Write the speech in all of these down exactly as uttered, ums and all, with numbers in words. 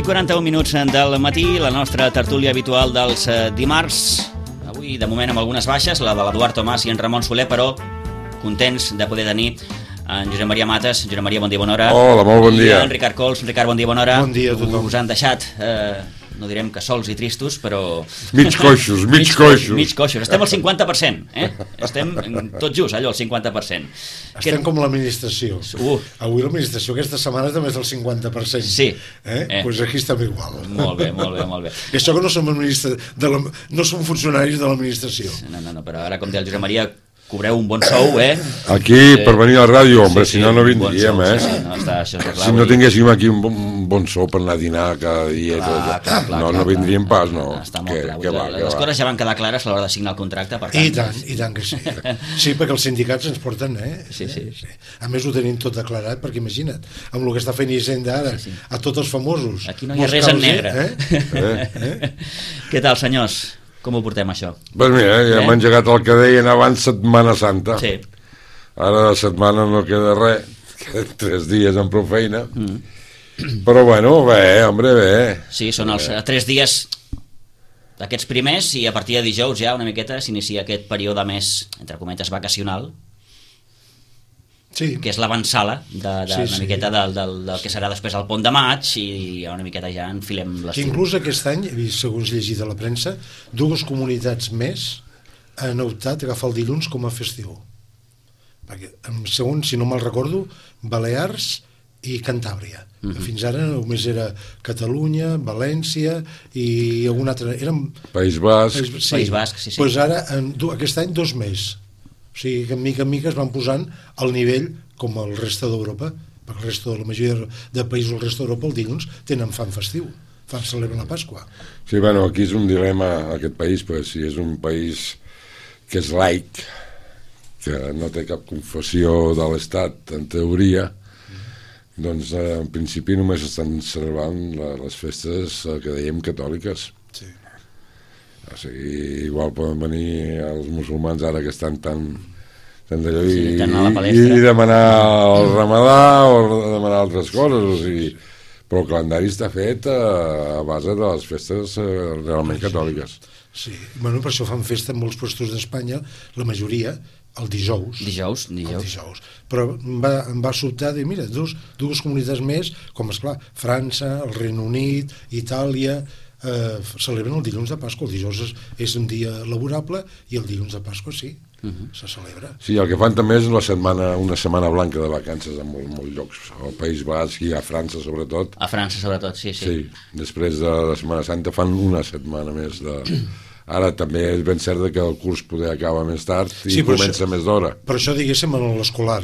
quaranta-un minuts del matí, la nostra tertúlia habitual dels dimarts. Avui, de moment, amb algunes baixes, la de l'Eduard Tomàs i en Ramon Soler, però contents de poder tenir en Josep Maria Mates. Josep Maria, bon dia, bona hora. Hola, molt bon dia. I en Ricard Cols. Ricard, bon dia, bona hora. Bon dia a tothom. Us han deixat... Eh, no direm que sols i tristos, però... Mig coixos, mig, mig coixos. Mig coixos. Estem al cinquanta per cent, eh? Estem tot just, allò, al cinquanta per cent. Estem que... com l'administració. Uh. Avui l'administració aquesta setmana també és del cinquanta per cent. Sí. Eh? Eh. Pues aquí estem igual. Molt bé, molt bé, molt bé. I això que no som, administra... de la... no som funcionaris de l'administració. No, no, no, però ara, com deia el Josep Maria, cobreu un bon sou, eh? Aquí, eh, per venir a la ràdio, hombre, sí, sí, si no, no vindríem, bon sou, eh? Sí, sí, no, està, això està clar, si no tinguéssim aquí un bon, un bon sou per anar a dinar cada dia, clar, tot, clar, clar, no, clar, no vindríem clar, pas, no. Està molt que, clar. que va, les que coses va. ja van quedar clares a l'hora de signar el contracte, per tant... I tant, i tant que sí. Sí, perquè els sindicats ens porten, eh? Sí, sí. sí. A més ho tenim tot declarat, perquè imagina't, amb el que està fent Hisenda ara, sí, sí. a tots els famosos. Aquí no hi ha res en negre. Eh? Eh? Eh? Què tal, senyors? Com ho portem, això? Pues mira, ja eh? hem engegat el que deien abans Setmana Santa. Sí. Ara de setmana no queda res, queden tres dies amb prou feina. Mm. Però bueno, bé, hombre, bé. Sí, són els eh, tres dies d'aquests primers i a partir de dijous ja una miqueta s'inicia aquest període més, entre cometes, vacacional. Sí. Que és l'avançala de, de, sí, una sí. miqueta del, del, del que serà després el pont de maig i una miqueta ja enfilem l'estiu. Inclús aquest any, segons llegit a la premsa, dues comunitats més han optat a agafar el dilluns com a festiu. Perquè, segons, si no me'l recordo, Balears i Cantàbria. Uh-huh. Fins ara només era Catalunya, València i algun altre... Eren... País Basc. País, sí. País Basc, sí, sí. Pues ara, en, aquest any, dos més. O sigui que, mica en mica, es van posant al nivell com el reste d'Europa, perquè el reste de la majoria de països del reste d'Europa el dilluns tenen fan festiu, fan celebren la Pasqua. Sí, bueno, aquí és un dilema, aquest país, pues, si és un país que és laic, que no té cap confessió de l'Estat, en teoria, doncs eh, en principi només estan celebrant la, les festes eh, que dèiem catòliques. Sí. O sigui, igual poden venir els musulmans ara que estan tan, tan d'allò sí, i, i, i demanar el ramadà o demanar altres coses, o sigui, però el calendari està fet a, a base de les festes eh, realment catòliques. Sí, bueno, per això fan festa en molts puestos d'Espanya, la majoria, el dijous. Dijous, dijous. El dijous. Però em va, em va sobtar dir, mira, dos, dues comunitats més, com esclar, França, el Regne Unit, Itàlia, eh, celebren el dilluns de Pasqua. El dijous és, és un dia laborable i el dilluns de Pasqua sí, uh-huh. se celebra. Sí, el que fan també és una setmana, una setmana blanca de vacances en molts, molts llocs, al País Basc i a França sobretot. A França sobretot, sí, sí. Sí, després de la Setmana Santa fan una setmana més de... Ara també és ben cert que el curs poder acaba més tard i sí, comença això, més d'hora. Per això diguéssim a l'escolar.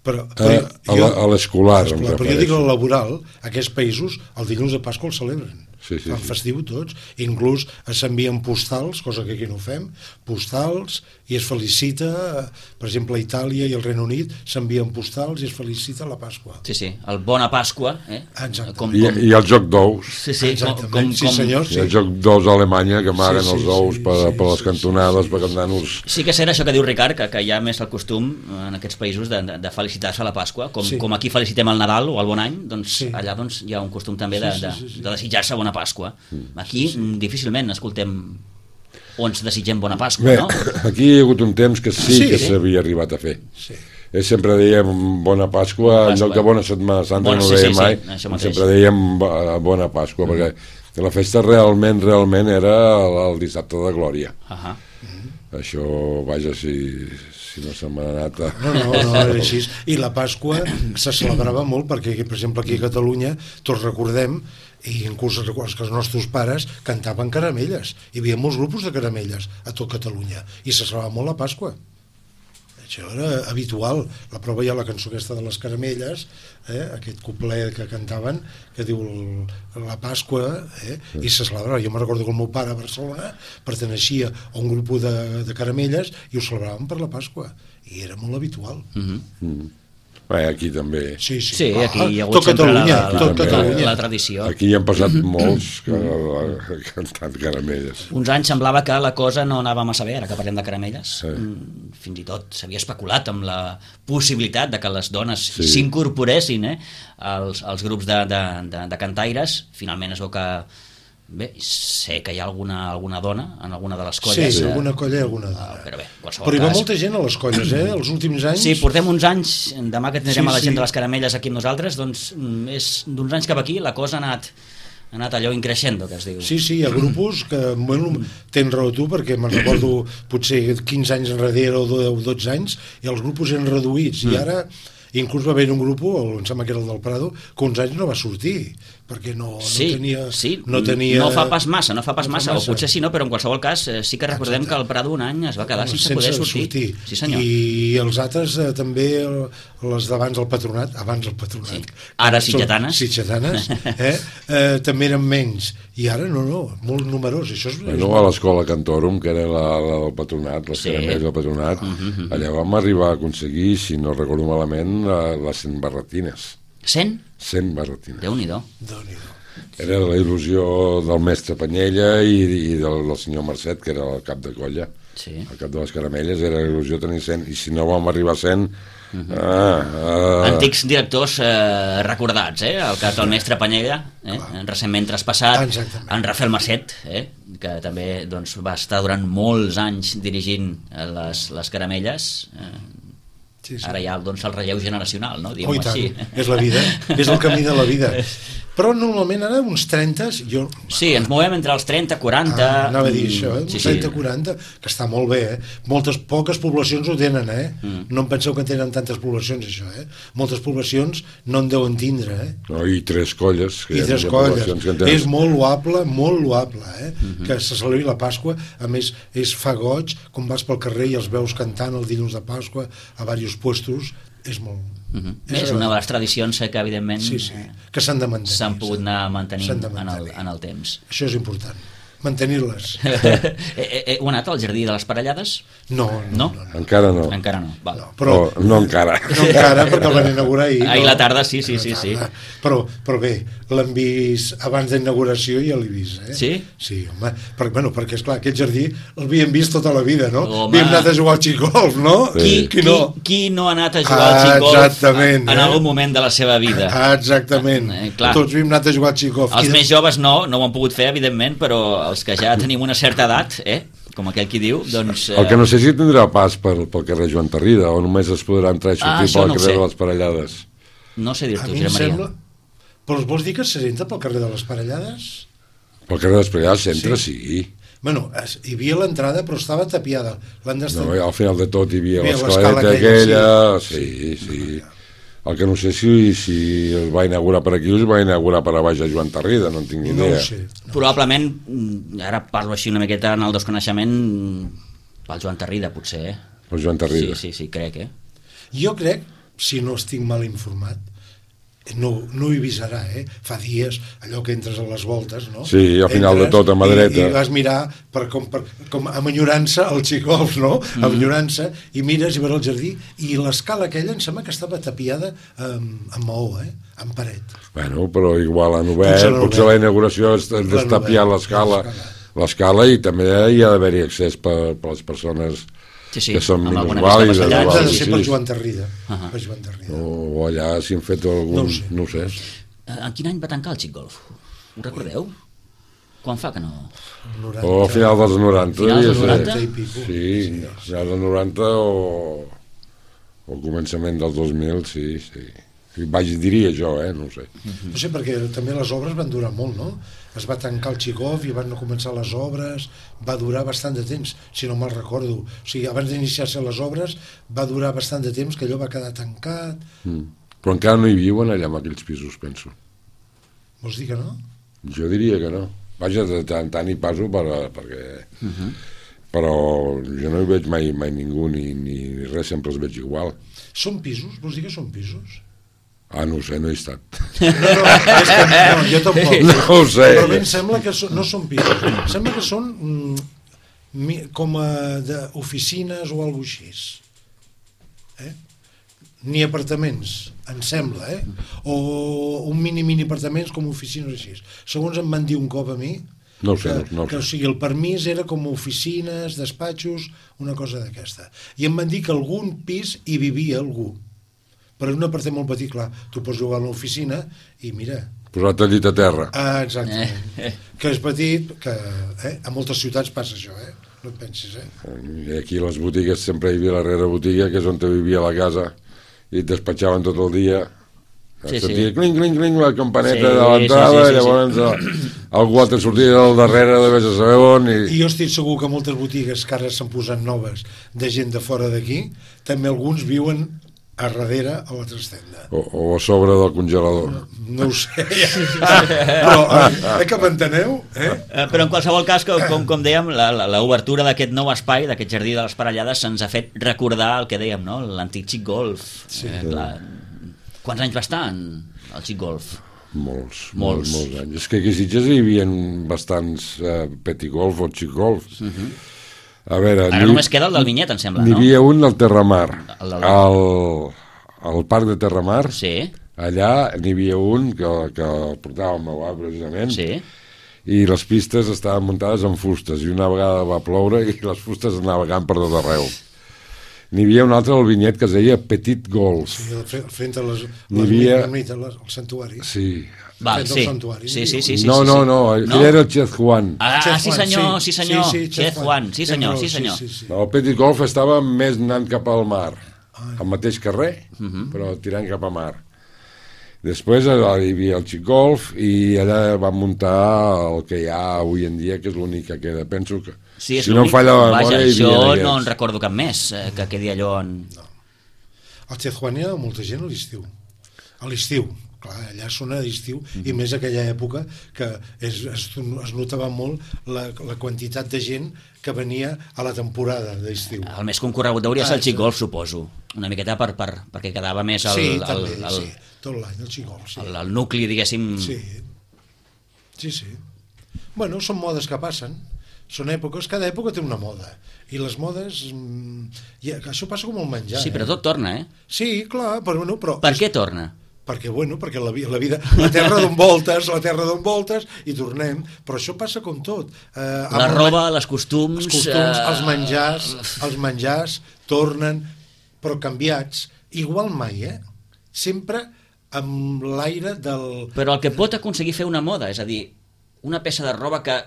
Però, però a, a l'escolar. Però jo dic el laboral, aquests països el dilluns de Pasqua el celebren. Sí, sí, fan sí. festiu tots, inclús s'envien postals, cosa que aquí no fem, postals, i es felicita, per exemple a Itàlia i al Regne Unit s'envien postals i es felicita la Pasqua. Sí, sí, el Bona Pasqua, eh? Com, I, com... I el joc d'ous. Sí, sí, com, com, sí, senyor, sí. I el joc d'ous a Alemanya, que amaguen sí, sí, els ous sí, per, sí, per les cantonades, sí, per cantar-nos... Sí que serà això que diu Ricard, que, que hi ha més el costum en aquests països de, de, de felicitar-se a la Pasqua, com, sí. com aquí felicitem el Nadal o el Bon Any, doncs sí. allà doncs, hi ha un costum també de, de, de desitjar-se bona Pasqua. Mm. Aquí sí. difícilment escoltem o ens desitgem bona Pasqua. Bé, no? Aquí hi ha hagut un temps que sí, sí que s'havia arribat a fer. Sí. Eh, sempre dèiem bona Pasqua, en lloc de bona Setmana Santa, bona, no ho dèiem sí, sí, mai, sí, sempre dèiem bona Pasqua, mm. perquè la festa realment, realment era el dissabte de Glòria. Uh -huh. mm. Això, vaja, si, si no se m'ha anat a... No, no, no, era així. I la Pasqua se celebrava molt perquè, per exemple, aquí a Catalunya, tots recordem, i inclús recordes que els nostres pares cantaven caramelles. Hi havia molts grupos de caramelles a tot Catalunya i se celebrava molt la Pasqua. Això era habitual. La prova hi ha la cançó aquesta de les caramelles, eh? Aquest couplet que cantaven, que diu la Pasqua, eh? I se celebrava. Jo me recordo que el meu pare a Barcelona perteneixia a un grup de, de caramelles i ho celebraven per la Pasqua. I era molt habitual. Mm-hmm. Mm-hmm. Bé, aquí també. Sí, sí. Sí, aquí hi ha hagut tot sempre Catalunya, la, la, tot la, Catalunya. la tradició. Aquí hi han passat molts que han cantat caramelles. Uns anys semblava que la cosa no anava massa bé, ara que parlem de caramelles. Sí. Fins i tot s'havia especulat amb la possibilitat de que les dones Sí. s'incorporessin eh, als, als grups de, de, de, de cantaires. Finalment es veu que... Bé, sé que hi ha alguna, alguna dona en alguna de les colles. Sí, eh, alguna colla i alguna dona. Però bé, qualsevol Però hi va cas... molta gent a les colles, eh? Els últims anys... Sí, portem uns anys, demà que tindrem Sí, a la gent sí. de les caramelles aquí amb nosaltres, doncs mm, és d'uns anys cap aquí la cosa ha anat, ha anat allò increixendo, que es diu. Sí, sí, hi ha grupos que, bueno, tens raó tu, perquè me'n recordo potser quinze anys enrere o dotze anys, i els grupos eren reduïts, Mm. i ara inclús va haver un grup, em sembla que era el del Prado, que uns anys no va sortir, perquè no, Sí, no tenia... sí, no, tenia... no fa pas massa, no fa pas no fa massa, massa. o potser sí, no, però en qualsevol cas eh, sí que recordem Exacte. que el Prado un any es va quedar sense, poder sortir. Sí, senyor. I els altres eh, també, eh, les d'abans del Patronat, abans del Patronat. Sí. Ara sitgetanes. Sitgetanes, eh? eh, també eren menys. I ara no, no, molt numerós. Això és, Bueno, a l'escola Cantorum, que era la, la del Patronat, les Sí. caramelles del Patronat, Uh -huh. allà vam arribar a aconseguir, si no recordo malament, la- les cent barretines. cent? cent barretines. Déu-n'hi-do. Déu-n'hi-do. Era la il·lusió del mestre Panyella i, i del, del senyor Mercet, que era el cap de colla. Sí. El cap de les caramelles era la il·lusió tenir cent, i si no vam arribar a cent... Uh -huh. ah, ah, Antics directors eh, recordats, eh? El cas del mestre Panyella, eh? recentment traspassat, Exactament. en Rafael Marcet, eh? que també doncs, va estar durant molts anys dirigint eh, les, les caramelles. Eh, Sí, sí. Ara hi ha doncs, el relleu generacional, no? Oh, i Diguem-ho tant, així. és la vida, és el camí de la vida. Però normalment ara uns trenta, jo... Sí, ens movem entre els trenta, quaranta... Ah, anava a dir això, eh? Sí, Uns sí. trenta quaranta, que està molt bé, eh? Moltes, poques poblacions ho tenen, eh? Mm. No em penseu que tenen tantes poblacions, això, eh? Moltes poblacions no en deuen tindre, eh? no, i tres colles. Que I hi ha tres poblacions colles. que en tenen. És molt loable, molt loable, eh? Mm-hmm. Que se celebri la Pasqua. A més, és fa goig, com vas pel carrer i els veus cantant el dilluns de Pasqua a diversos puestos, és molt... Uh -huh. és És una de les tradicions que evidentment Sí, sí, eh, que s'han de mantenir. s'han pogut anar mantenint S'han de en el, mantenir. en el temps. Això és important, mantenir-les. eh, eh, eh, heu anat al Jardí de les Parellades? No, No? no, no. no. Encara no. Encara no. Val. No, però, no, no encara. no encara, perquè el van inaugurar ahir. Ahir no? la tarda, sí, sí, Ahir sí, la sí. tarda. Però, però bé, l'hem vist abans d'inauguració i ja l'he vist, eh? Sí? Sí, home, perquè, bueno, perquè esclar, aquest jardí l'havíem vist tota la vida, no? Home. Havíem anat a jugar al xicgolf, no? Qui, Qui qui, no? qui no ha anat a jugar Ah, al xicgolf exactament, en eh? algun moment de la seva vida? Ah, exactament. Eh, clar. Tots havíem anat a jugar al xicgolf. Els I de- més joves no, no ho han pogut fer, evidentment, però els que ja tenim una certa edat, eh, com aquell qui diu, doncs... Eh, El que no sé si tindrà pas pel, pel carrer Joan Tarrida, o només es podrà entrar i sortir Ah, això pel no ho carrer sé. de les Parellades. no sé A dir-t'ho, mi em Josep Maria. sembla... Però vols dir que s'entra pel carrer de les Parellades? Pel carrer de les Parellades s'entra, sí. sí. Bueno, es, hi havia l'entrada, però estava tapiada. L'han d'estar... No, al final de tot hi havia Hi havia l'escaleta l'escala aquella, aquella... Sí, sí. El que no sé si, si es va inaugurar per aquí o es va inaugurar per a baix a Joan Tarrida, no en tinc ni No idea. ho sé. No. Probablement, mm, ara parlo així una miqueta en el desconeixement, mm, pel Joan Tarrida, potser, eh? El Joan Tarrida. Sí, sí, sí, crec, eh? Jo crec, si no estic mal informat, no, no ho he vist ara, eh? Fa dies, allò que entres a les voltes, no? Sí, al final de tot, a mà i- dreta. I vas mirar per com, per, com amb enyorança el xicgolf, no? Mm. Amb enyorança, i mires i veus el jardí, i l'escala aquella em sembla que estava tapiada amb, amb maó, eh? Amb paret. Bueno, però igual han obert, Potser l'han potser obert. la inauguració és L'han destapiar obert, l'escala, l'escala. l'escala i també hi ha d'haver-hi accés per, per les persones Sí, sí, que són amb alguna minusvàlides. discapacitat, Ha o de alguna ser cosa per així. Joan Tarrida. Ahà. Per Joan Tarrida. O, o allà si han fet algun... No ho sé. No ho sé. Eh, En quin any va tancar el xicgolf? Ho recordeu? Quan fa que no? noranta. O a final dels noranta, Finals devia dels ser. noranta? I pico. Sí, a final dels noranta o, o al començament del dos mil, sí, sí. I vaig, diria jo, eh, no ho sé. No sé, perquè també les obres van durar molt, no? Es va tancar el xicgolf i van començar les obres, va durar bastant de temps, si no me'l recordo. O sigui, abans d'iniciar-se les obres va durar bastant de temps, que allò va quedar tancat. Mm. Però encara no hi viuen allà en aquells pisos, penso. Vols dir que no? Jo diria que no. Vaja, de tant en tant hi passo per, perquè... Uh -huh. Però jo no hi veig mai, mai ningú ni, ni res, sempre els veig igual. Són pisos? Vols dir que són pisos? Ah, no ho sé, no he estat. No, no, és que, no jo tampoc. No ho sé. Però a mi em sembla que so, no són pisos. Em sembla que són mm, mi, com a d'oficines o alguna així. Eh? ni apartaments, em sembla, eh? O un mini-mini apartaments com oficines així. Segons em van dir un cop a mi, no sé, que, no sé. que o sigui, el permís era com oficines, despatxos, una cosa d'aquesta. I em van dir que algun pis hi vivia algú. Però un apartament molt petit, clar, tu pots jugar a l'oficina i mira... Posar-te al llit a terra. Ah, exactament. Eh. Que és petit, que eh, a moltes ciutats passa això, eh? No et pensis, eh? I aquí a les botigues sempre hi havia la darrere botiga, que és on te vivia la casa, i et despatxaven tot el dia. Sí, sentia sí. cling, cling, cling, la campaneta sí, de l'entrada, sí, sí, sí, i llavors sí. algú altre sortia del darrere de vés a saber on. I... I jo estic segur que moltes botigues que ara s'han posat noves de gent de fora d'aquí, també alguns viuen a darrere a la trastenda. O, o a sobre del congelador. No, no ho sé. Però, eh, que m'enteneu? Eh? Però en qualsevol cas, com, com dèiem, l'obertura d'aquest nou espai, d'aquest jardí de les Parellades, se'ns ha fet recordar el que dèiem, no? L'antic Xic Golf. Sí. Eh, clar. Quants anys va estar el Xic Golf? Molts, molts, molts anys. És que aquí a Sitges hi havia bastants eh, petit golf o Xic Golf. Uh -huh. A veure, ara només queda el del Vinyet, em sembla, no? N'hi havia un del Terramar. El del... al, al parc de Terramar. Sí. Allà n'hi havia un que, que el portava el meu avi, precisament. Sí. I les pistes estaven muntades en fustes, i una vegada va ploure i les fustes anaven vagant per tot arreu. N'hi havia un altre al Vinyet que es deia Petit Golf. Sí, fent a les, les havia... el santuari. Sí. Val, sí. Sí, sí, sí, sí, no, no, no, aquell no? era el Chez Juan. Ah, Chez sí senyor, sí, sí senyor, sí, sí, Chez Juan, sí senyor, sí senyor. Sí, sí, sí. No, el Petit Golf estava més anant cap al mar, al mateix carrer, uh -huh. però tirant cap a mar. Després hi havia el Xic Golf i allà van muntar el que hi ha avui en dia, que és l'únic que queda. Penso que, sí, si no em falla la memòria, hi havia jo aquests. No en recordo cap més eh, que quedi allò en... No. El Chez Juan hi ha molta gent a l'estiu. A l'estiu. Clar, allà sona d'estiu, mm-hmm. i més aquella època que es, es, es notava molt la, la quantitat de gent que venia a la temporada d'estiu. El més concorregut hauria ser el Xic Golf, suposo. Una miqueta per, per, perquè quedava més el... Sí, el, també, el, el, sí, tot l'any, el Xic Golf, sí. El, el nucli, diguéssim... Sí, sí, sí. Bueno, són modes que passen, són èpoques, cada època té una moda, i les modes... I això passa com el menjar. Sí, però tot torna, eh? Sí, clar, però... Bueno, però per què torna? Perquè, bueno, perquè la, la vida, la terra d'on voltes, la terra d'on voltes, i tornem, però això passa com tot. Eh, la roba, les costums... Els costums, eh... els menjars, els menjars tornen, però canviats, igual mai, eh? Sempre amb l'aire del... Però el que pot aconseguir fer una moda, és a dir, una peça de roba que,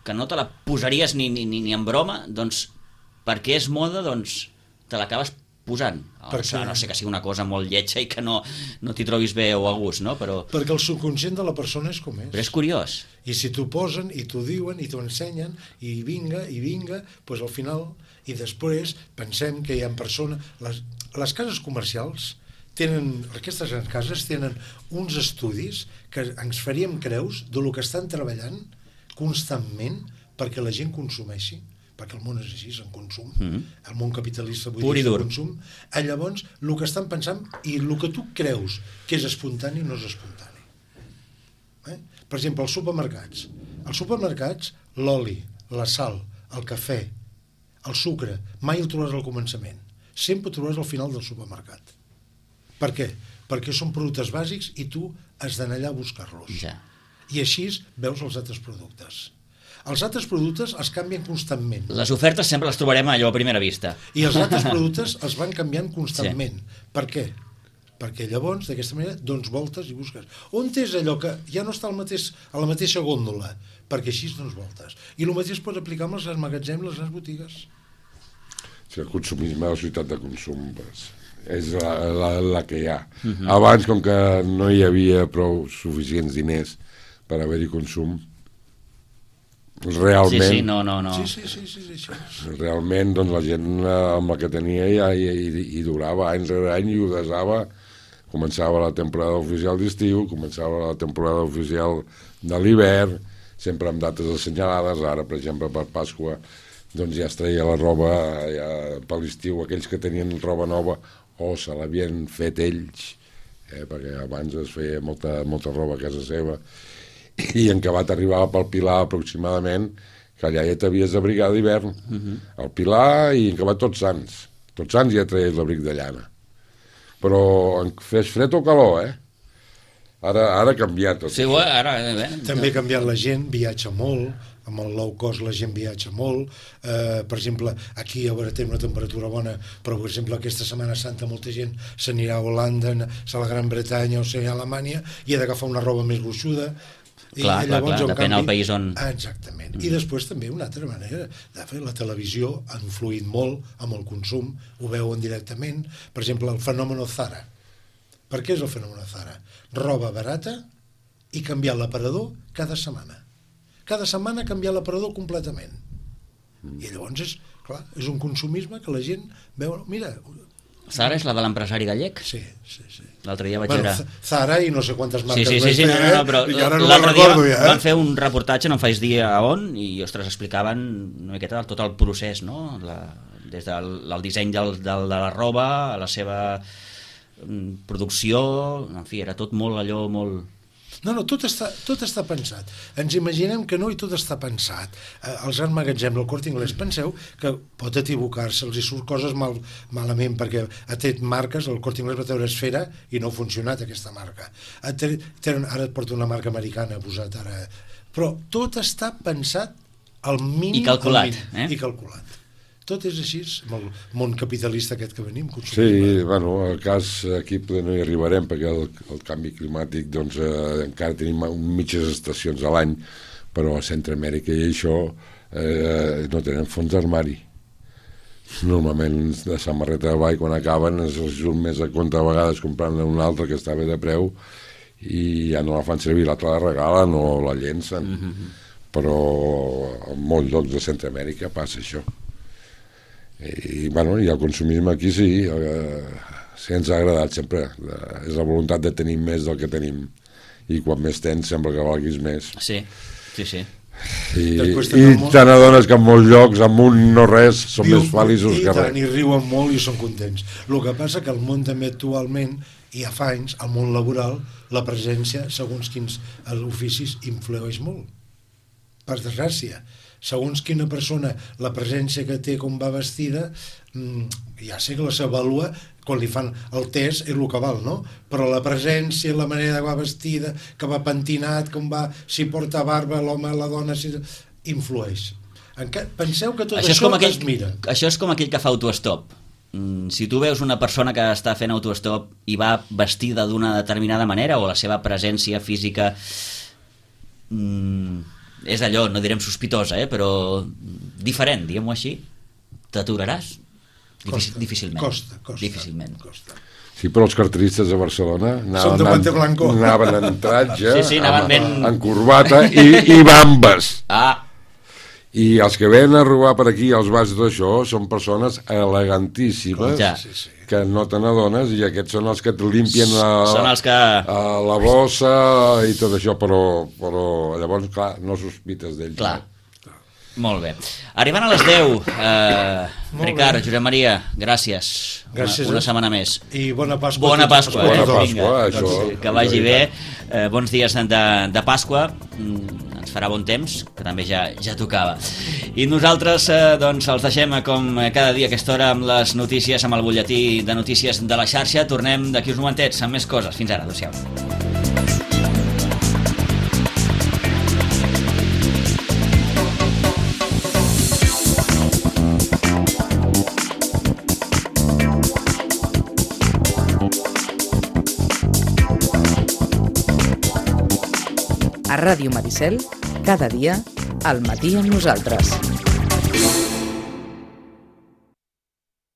que no te la posaries ni, ni, ni en broma, doncs, perquè és moda, doncs, te l'acabes posant. Perquè... No sé que sigui una cosa molt lletja i que no, no t'hi trobis bé o a gust, no? Però... Perquè el subconscient de la persona és com és. Però és curiós. I si t'ho posen, i t'ho diuen, i t'ho ensenyen, i vinga, i vinga, doncs al final, i després pensem que hi ha persones... Les, les cases comercials tenen, aquestes grans cases tenen uns estudis que ens faríem creus de lo que estan treballant constantment perquè la gent consumeixi, perquè el món és així, és en consum, mm-hmm. el món capitalista avui és en consum, eh, llavors el que estan pensant i el que tu creus que és espontani no és espontani. Eh? Per exemple, els supermercats. Els supermercats, l'oli, la sal, el cafè, el sucre, mai el trobaràs al començament. Sempre el trobaràs al final del supermercat. Per què? Perquè són productes bàsics i tu has d'anar allà a buscar-los. Ja. I així veus els altres productes. Els altres productes els canvien constantment. Les ofertes sempre les trobarem allò a primera vista. I els altres productes els van canviant constantment. Sí. Per què? Perquè llavors, d'aquesta manera, dones voltes i busques. On és allò que ja no està al mateix, a la mateixa gòndola? Perquè així dones voltes. I el mateix pots aplicar amb els grans magatzems, les grans botigues. Sí, el consumisme, la societat de consum, pues, és la, la, la que hi ha. Uh-huh. Abans, com que no hi havia prou suficients diners per haver-hi consum, realment sí, sí, no, no, no. Sí, sí, sí, sí, sí, sí. realment doncs, la gent amb la que tenia ja hi, hi, hi durava anys rere any i ho desava. Començava la temporada oficial d'estiu, començava la temporada oficial de l'hivern, sempre amb dates assenyalades. Ara, per exemple, per Pasqua doncs ja es treia la roba ja, per l'estiu, aquells que tenien roba nova o se l'havien fet ells, eh, perquè abans es feia molta, molta roba a casa seva, i en acabat arribava pel Pilar aproximadament, que allà ja t'havies d'abrigar d'hivern. Uh-huh. El Pilar i en acabat Tots Sants. Tots Sants ja traies l'abric de llana. però fes fred o calor, eh? Ara, ara ha canviat tot. Sí, ara, eh? També ha canviat la gent, viatja molt, amb el low cost la gent viatja molt, eh, per exemple, aquí a veure, té una temperatura bona, però per exemple aquesta Setmana Santa molta gent s'anirà a Holanda, a la Gran Bretanya o sigui, a Alemanya, i ha d'agafar una roba més gruixuda. Clar, I clar, llavors, clar, depèn canvi, del país on... Exactament. Mm. I després també una altra manera de fer, la televisió ha influït molt amb el consum, ho veuen directament, per exemple, el fenomen Zara. Per què és el fenomen Zara? Roba barata i canviar l'aparador cada setmana. Cada setmana canviar l'aparador completament. Mm. I llavors és, clar, és un consumisme que la gent veu... Mira... Zara és la de l'empresari gallec? Sí, sí, sí. L'altre dia vaig bueno, veure... Zara i no sé quantes marques... Sí, sí, sí, sí no, no, no, però no l'altre dia ja, eh? van fer un reportatge, no em faig dir a on, i, ostres, explicaven una miqueta tot el procés, no? La, des del el disseny del, del, de la roba, a la seva producció, en fi, era tot molt allò, molt... No, no, tot està, tot està pensat. Ens imaginem que no i tot està pensat. Eh, els grans magatzems, el Corte Inglés, penseu que pot equivocar-se, els hi surt coses mal, malament, perquè ha tret marques, el Corte Inglés va treure Esfera i no ha funcionat aquesta marca. Ha tret, ara et porta una marca americana posat ara. Però tot està pensat al mínim... I calculat. Mínim, eh? I calculat. Tot és així, amb el món capitalista aquest que venim. Sí, bueno, el cas aquí no hi arribarem perquè el, el canvi climàtic doncs eh, encara tenim mitges estacions a l'any, però a Centroamèrica i això eh, no tenen fons d'armari. Normalment de samarreta de ball quan acaben es surt més a compte a vegades comprant una altra que està bé de preu i ja no la fan servir, l'altra la regalen o la llencen. Mm-hmm. Però en molts llocs de Centroamèrica passa això. I, bueno, i el consumisme aquí sí, eh, sí ens ha agradat sempre, eh, és la voluntat de tenir més del que tenim i quan més tens sembla que valguis més. Sí, sí, sí. I, i te n'adones que en molts llocs amb un no res són Viu, més feliços que res. I riuen molt i són contents. El que passa que el món també actualment, i ja fa anys, al món laboral, la presència, segons quins oficis, influeix molt. Per desgràcia. Segons quina persona, la presència que té, com va vestida, ja sé que la s'avalua quan li fan el test és el que val, no? Però la presència, la manera que va vestida, que va pentinat, com va, si porta barba, l'home, la dona, si... influeix. Encara, penseu que tot això, això aquell, es mira. Això és com aquell que fa autostop. Si tu veus una persona que està fent autostop i va vestida d'una determinada manera o la seva presència física... Mmm, és allò, no direm sospitosa, eh, però diferent, diguem-ho així, t'aturaràs? Costa, difícilment. Costa, costa. Difícilment. Costa. Sí, però els carteristes de Barcelona anaven, anaven, anaven en tratge, sí, sí, anaven ben... en, en corbata i, i bambes. Ah. I els que venen a robar per aquí els bars i tot això són persones elegantíssimes ja. que no te n'adones i aquests són els que et limpien a, són els que... a la bossa i tot això, però, però llavors, clar, no sospites d'ells. Clar. No? Molt bé. Arribant a les deu, eh, Ricard, Josep Maria, gràcies. Gràcies. Una, una setmana més. I bona Pasqua. Bona Pasqua. Bona Eh? Pasqua, Vinga, això. Doncs, que vagi bé. Eh, bons dies de, de Pasqua. Ens farà bon temps, que també ja, ja tocava. I nosaltres eh, doncs els deixem com cada dia a aquesta hora amb les notícies, amb el butlletí de notícies de la xarxa. Tornem d'aquí uns momentets amb més coses. Fins ara, adéu-siau. A Ràdio Maricel, cada dia, al matí amb nosaltres.